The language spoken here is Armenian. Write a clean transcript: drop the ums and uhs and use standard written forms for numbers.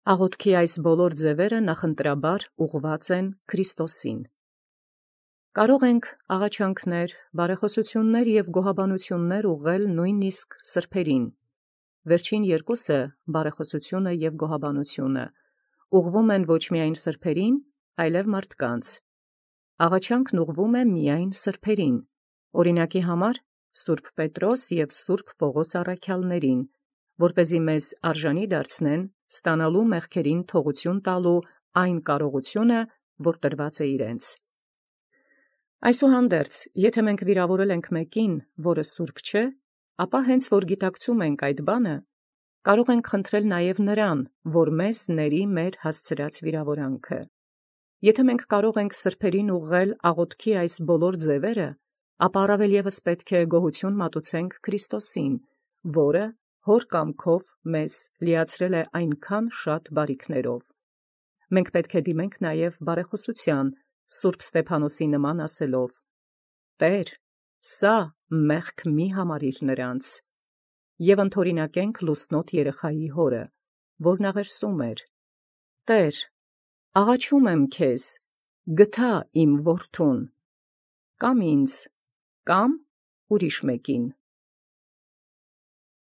Աղոթքի այս բոլոր ձևերը նախընտրաբար ուղղված են Քրիստոսին։ Կարող ենք աղաչանքներ, բարեխոսություններ և գոհաբանություններ ուղղել նույնիսկ սրբերին։ Վերջին երկուսը, բարեխոսությունը և գոհաբանությունը, ուղղվում են ոչ միայն սրբերին, այլև մարդկանց։ Աղաչանքն ուղղվում է միայն սրբերին, օրինակի համար Սուրբ Պետրոս և Սուրբ Պողոս առաքյալներին, որպեսզի մեզ արժանի դարձնեն ստանալու մեղքերին թողություն տալու այն կարողությունը, որ տրված է իրենց։ Այսուհանդերձ, եթե մենք վիրավորել ենք մեկին, որը սուրբ չէ, ապա հենց որ գիտակցում ենք այդ բանը, կարող ենք խնդրել նաև նրան, որ մեզ ների մեր հասցրած վիրավորանքը։ Եթե մենք կարող ենք սրբերին ուղղել աղոթքի այս բոլոր ձևերը, ապա առավել ևս պետք է գոհություն մատուցենք Քրիստոսին, որը հոր կամքով մեզ լիացրել է այնքան շատ բարիքներով։ Մենք պետք է դիմենք նաև բարեխոսության, Սուրբ Ստեփանոսի նման ասելով. «Տեր, սա մեղք մի համարիր նրանց», և ընդօրինակենք լուսնոտ երեխայի հորը, որն աղերսում էր. «Տեր, աղաչում եմ քեզ, գթա իմ որդուն, կամ ինձ, կամ ուրիշ մեկին»։